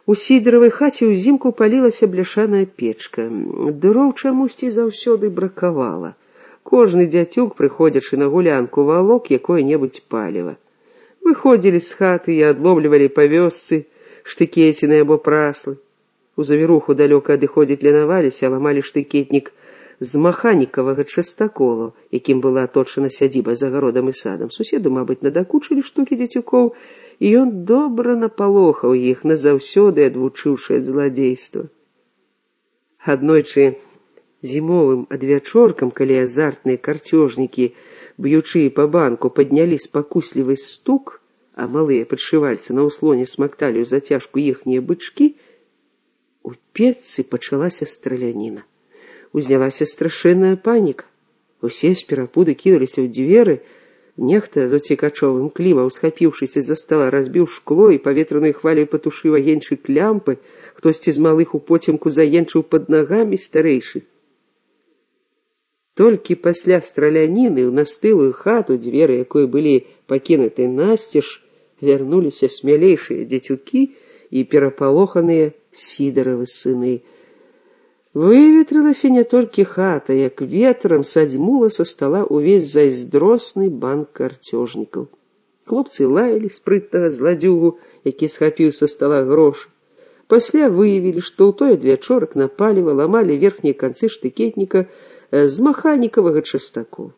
У сідаравай хаце ўзімку палілася бляшаная печка. Дроў чамусьці заўсёды бракавала. Кожны дзяцюк, прыходзячы на гулянку, валок якое-небудзь паліва. Выходзілі з хаты і адломлівалі па вёсцы штыкеціны або праслы. У завіруху далёка адыходзіць ленаваліся, ламалі штыкетнік з маханікавага частаколу, якім была аточана сядзіба за гародам і садам. Суседу, мабыць, надакучылі штукі дзецюкоў, і ён добра напалохаў іх, назаўсёды адвучыўшы ад зладзейства. Аднойчы зімовым адвячоркам, калі азартныя карцёжнікі, б'ючы па банку, паднялі спакуслівы стук, а малыя падшывальцы на ўслоне смакталі ў зацяжку іхнія бычкі, у печцы пачалася страляніна. Узнялася страшэнная паніка. Усе з перапуду кінуліся ў дзверы. Нехта з уцекачовым клімам, схапіўшыся з-за стала, разбіў шкло і паветранай хваляй патушыў агеньчык лямпы. Хтосьці з малых упоцемку заенчыў пад нагамі старэйшы. Толькі пасля страляніны ў настылую хату, дзверы якой былі пакінуты насцеж, вярнуліся смялейшыя дзецюкі і перапалоханыя сідаравы сыны. Выветрылася не толькі хата, як ветрам садзьмула са стала ўвесь зайздросны банк карцёжнікаў. Хлопцы лаялі спрытнага зладзюгу, які схапіў са стала грошы. Пасля выявілі, што ў той адвячорак на паліва ламалі верхнія канцы штыкетніка з маханікавага частаку.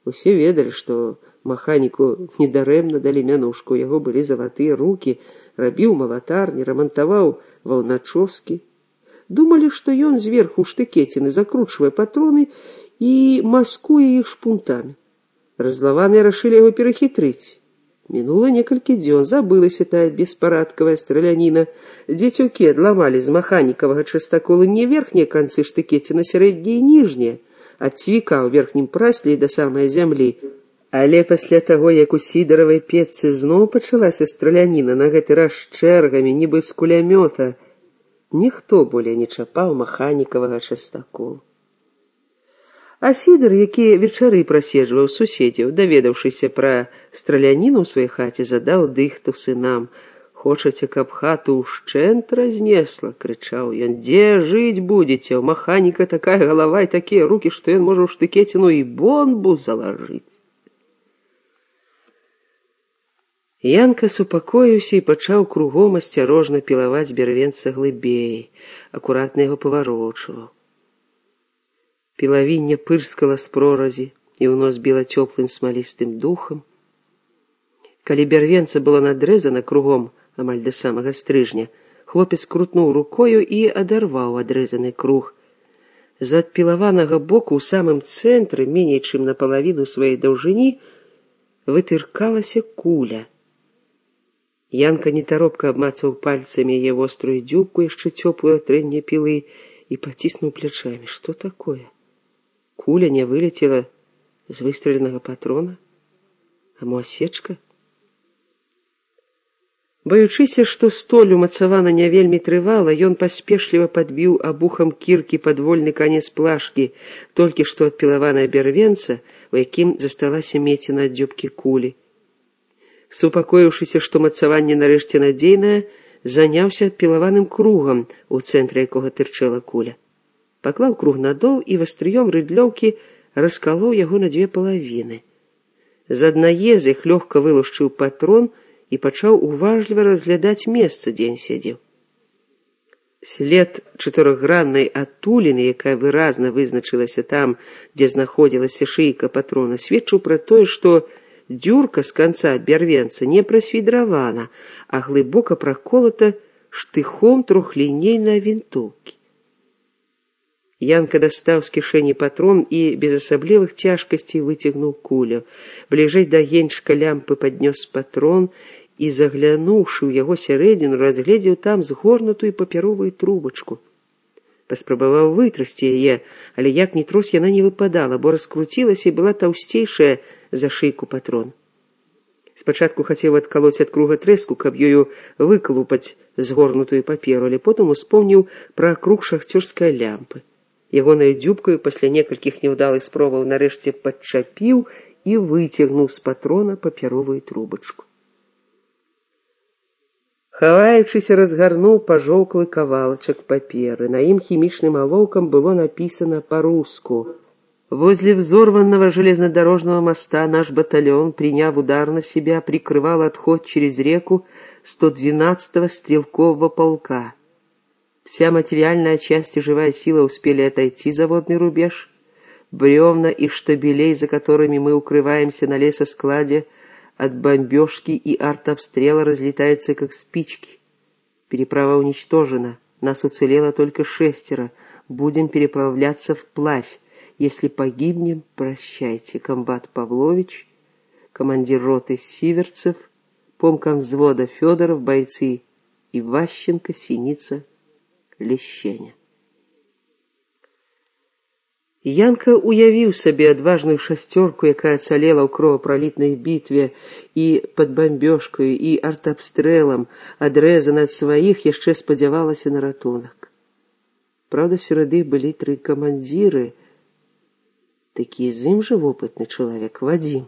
Усе ведалі, што маханіку недарэмна далі мянушку, у яго былі залатыя рукі, рабіў малатарні, рамантаваў ваўначоскі. Думалі, што ён зверху штыкеціны закручвае патроны і маскуе іх шпунтамі. Разлаваныя рашылі яго перахітрыць. Мінула некалькі дзён, забылася тая беспарадкавая страляніна. Дзецюкі адламалі з маханікавага частакола не верхнія канцы штыкеціна, сярэднія і ніжнія, ад цвіка ў верхнім прасле і да самай зямлі. Але пасля таго, як у сідаравай печцы зноў пачалася страляніна, на гэты раз чэргамі, нібы з кулямёта, ніхто болей не чапаў маханікавага частаколу. А сідар, які вечары праседжваў суседзяў, даведаўшыся пра страляніну ў сваёй хаце, задаў дыхту сынам. «Хочаце, каб хату ўшчэнт разнесла?» — крычаў ён. «Дзе жыць будзеце? У маханіка такая галава і такія рукі, што ён можа ў штыкеціну і бомбу залажыць». Янка супакоіўся і пачаў кругом асцярожна пілаваць бярвенца глыбей, акуратна яго паварочваў. Пілавінне пырскала з проразі і ў нос біла цёплым смалістым духам. Калі бярвенца было надрэзана кругом амаль да самага стрыжня, хлопец крутнуў рукою і адарваў адрэзаны круг. З адпілаванага боку ў самым цэнтры, меней чым напалавіну сваёй даўжыні, вытыркалася куля. Янка нетаропка абмацаў пальцамі яе вострую дзюбку, яшчэ цёплую ад трэння пілы, і паціснуў плячамі. Што такое? Куля не вылецела з выстраленага патрона? А мо асечка? Баючыся, што столь умацавана не вельмі трывала, ён паспешліва падбіў абухам кіркі падвольны канец плашкі, толькі што адпілаваная бярвенца, у якім засталася меціна ад дзюбкі кулі. Супакоіўшыся, што мацаванне нарэшце надзейнае, заняўся адпілаваным кругам, у цэнтры якога тырчэла куля. Паклаў круг на дол і вастрыём рыдлёўкі раскалоў яго на дзве палавіны. З аднае з іх лёгка вылушчыў патрон і пачаў уважліва разглядаць месца, дзе ён сядзеў. След чатырохграннай адтуліны, якая выразна вызначылася там, дзе знаходзілася шыйка патрона, сведчыў пра тое, што дзюрка з канца бярвенца не прасвідравана, а глыбока праколата штыхом трохлінейнай вінтоўкі. Янка дастаў з кішэні патрон і без асаблівых цяжкасцей выцягнуў кулю. Бліжэй да геньчка лямпы паднёс патрон і, заглянуўшы ў яго сярэдзіну, разгледзеў там згорнутую папяровую трубачку. Паспрабаваў вытрасці яе, але як ні трос яна не выпадала, бо раскруцілася і была таўсцейшая за шыйку патрон. Спачатку хацеў адкалоць ад круга трэску, каб ёю выкалупаць згорнутую паперу, але потым успомніў пра круг шахцёрскай лямпы. Ягонаю дзюбкаю пасля некалькіх няўдалых спробаў нарэшце падчапіў і выцягнуў з патрона папяровую трубачку. Хаваючыся, разгарнуў пажоўклы кавалачак паперы. На ім хімічным алоўкам было написано по-руску: «Возле взорванного железнодорожного моста наш батальон, приняв удар на себя, прикрывал отход через реку 112-го стрелкового полка. Вся материальная часть и живая сила успели отойти за водный рубеж. Бревна и штабелей, за которыми мы укрываемся на лесоскладе, от бомбежки и артобстрела разлетаются, как спички. Переправа уничтожена, нас уцелело только 6. Будем переправляться вплавь. Если погибнем, прощайте. Комбат Павлович, командир роты Сиверцев, помком взвода Федоров, бойцы Иващенко, Синица, Лещеня». Янка уявіў сабе адважную шасцёрку, якая ацалела ў кровапралітнай бітве і пад бамбёжкаю, і артабстрэлам, адрэзана ад сваіх, яшчэ спадзявалася на ратунак. Праўда, сярод іх былі 3 камандзіры. Такі з ім жа вопытны чалавек, Вадзім.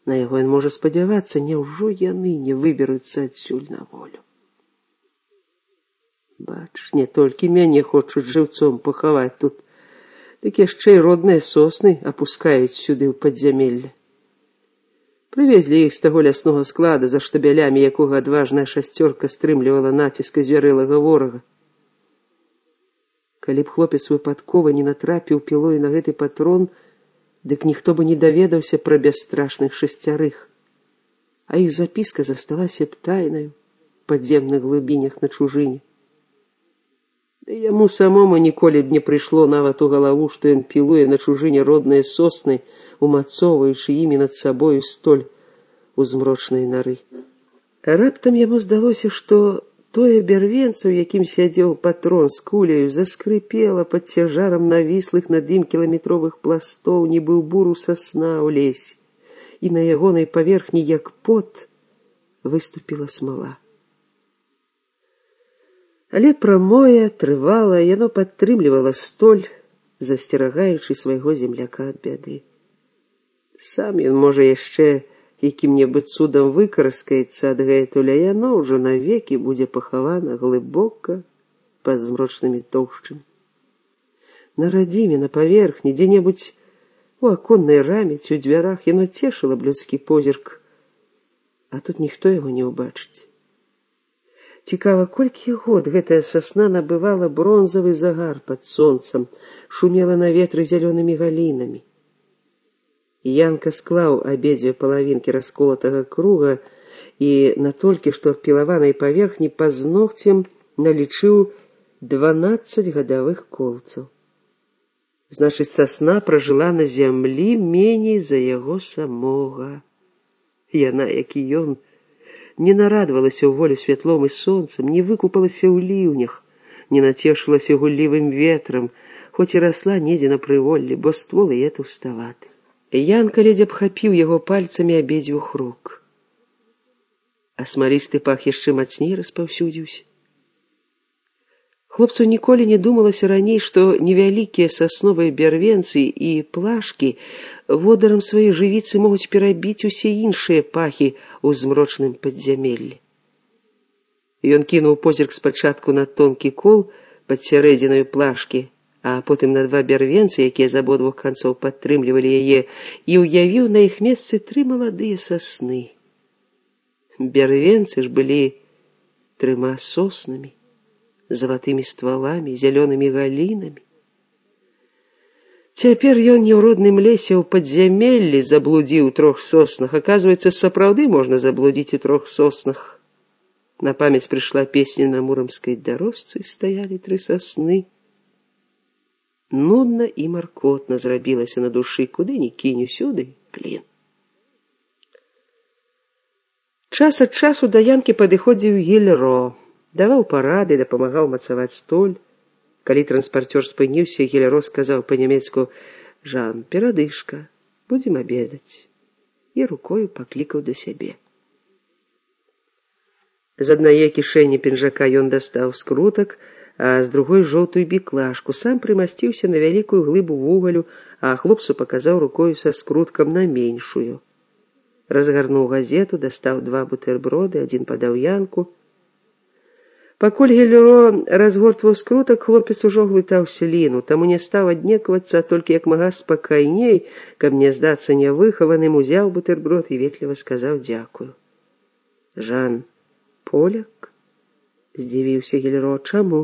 На яго ён можа спадзявацца, няўжо яны не выберуцца адсюль на волю? Бач, не толькі мяне хочуць жыўцом пахаваць тут, так яшчэ і родныя сосны апускаюць сюды ў падзямелле. Прывезлі іх з таго ляснога склада, за штабелямі якога адважная шасцёрка стрымлівала націск звярэлага ворага. Калі б хлопец выпадкова не натрапіў пілой на гэты патрон, дык ніхто бы не даведаўся пра бясстрашных 6, а іх запіска засталася б тайнаю ў падземных глыбінях на чужыне. Да яму самому ніколі б не прыйшло нават у галаву, што ён пілуе на чужыне родныя сосны, умацоўваючы імі над сабою столь у змрочнай нары. Раптам яму здалося, што тое бярвенца, у якім сядзеў патрон з куляю, заскрыпела пад цяжарам навіслых над ім кіламетровых пластоў, нібы ў буру сасна ў лесе, і на ягонай паверхні, як пот, выступіла смала. Але прамое, трывалае, яно падтрымлівала столь, засцерагаючы свайго земляка ад бяды. Сам ён, можа, яшчэ якім-небудзь цудам выкараскаецца адгэтуль, а яно ўжо навекі будзе пахавана глыбока пад змрочнымі тоўшчамі. На радзіме, на паверхні, дзе-небудзь у аконнай раме ці ў дзвярах яно цешыла б людскі позірк, а тут ніхто яго не ўбачыць. Цікава, колькі год гэтая сасна набывала бронзавы загар пад сонцам, шумела на ветры зялёнымі галінамі. Янка склаў абедзве палавінкі расколатага круга і на толькі што ад пілаванай паверхні пазногцем налічыў 12 гадавых колцаў. Значыць, сасна пражыла на зямлі меней за яго самога. Яна, як і ён, не нарадавалася ў волю святлом і сонцам, не выкупалася ў ліўнях, не нацешылася гуллівым ветрам, хоць і расла недзе на прыволлі, бо ствол яе таўставаты. Янка ледзь абхапіў яго пальцамі абедзвюх рук. А смалісты пах яшчэ мацней распаўсюдзіўся. Хлопцу ніколі не думалася раней, што невялікія сасновыя бярвенцы і плашкі водарам свае жывіцы могуць перабіць усе іншыя пахі ў змрочным падзямеллі. Ён кінуў позірк спачатку на тонкі кол пад сярэдзінаю плашкі, а потым на 2 бярвенцы, якія з абодвух канцоў падтрымлівалі яе, і ўявіў на іх месцы 3 маладыя сасны. Бярвенцы ж былі 3 соснамі, залатымі стваламі, зялёнымі галінамі. Цяпер ён не ў родным лесе, ў падзямеллі заблудзіў у 3 соснах. Аказваецца, сапраўды можна заблудзіць у 3 соснах. На памяць прыйшла песня: на муромскай дарожцы стаялі 3 сасны. Нудна і маркотна зрабілася на душы, куды ні кінь, усюды клін. Час ад часу да Янкі падыходзіў Гільро, даваў парады, дапамагаў мацаваць столь. Калі транспарцёр спыніўся, Гільро сказаў па-нямецку: «Жан, перадышка, будзем абедаць», і рукою паклікаў да сябе. З аднае кішэні пінжака ён дастаў скрутак, а з другой жоўтую біклашку, сам прымасціўся на вялікую глыбу вугалю, а хлопцу паказаў рукою са скруткам на меншую. Разгарнуў газету, дастаў 2 бутэрброды, адзін падаў Янку, Пакуль Гелеро разгортваў скрутак, хлопец ужо глытаў сліну, таму не стаў аднеквацца, толькі як мага спакайней, каб не здацца нявыхаваным, узяў бутэрброд і ветліва сказаў дзякую. Жан поляк? Здзівіўся Гелеро. Чаму?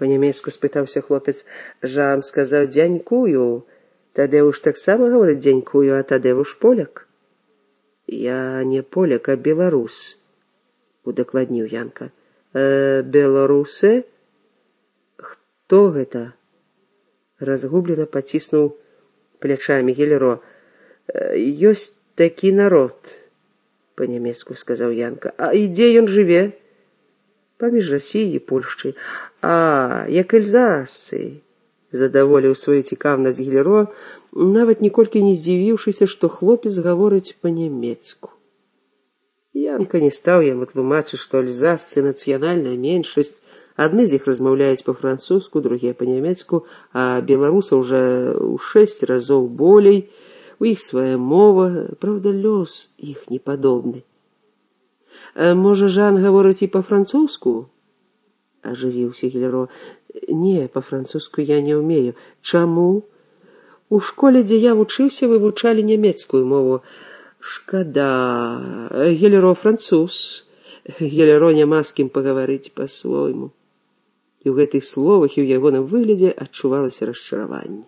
Па-нямецку спытаўся хлопец. Жан сказаў дзянькую. Тадеуш таксама гаворыць дзянькую, а Тадеуш поляк. Я не поляк, а беларус, удакладніў Янка. Беларусы? Хто гэта? Разгублена паціснуў плячамі Гелеро. Ёсць такі народ, па-нямецку сказаў Янка. А і дзе ён жыве? Паміж Расіяй і Польшчай. А, як эльзасцы, задаволіў сваю цікаўнасць Гелеро, нават ніколькі не здзівіўшыся, што хлопец гаворыць па-нямецку. Янка не стаў яму тлумачыць, што эльзасцы нацыянальная меншасць, адны з іх размаўляюць па-французску, другія па-нямецку, а беларусаў уже ў 6 разоў болей, у іх свая мова, праўда, лёс іх не падобны. Можа, Жан гаворыць і па-французску? Ажывіўся Гелеро. Не, па-французску я не ўмею. Чаму? У школе, дзе я вучыўся, вывучалі нямецкую мову. Шкада. Гелеро француз. Гелеро няма з кім пагаварыць па-свойму. І ў гэтых словах і ў ягоным выглядзе адчувалася расчараванне.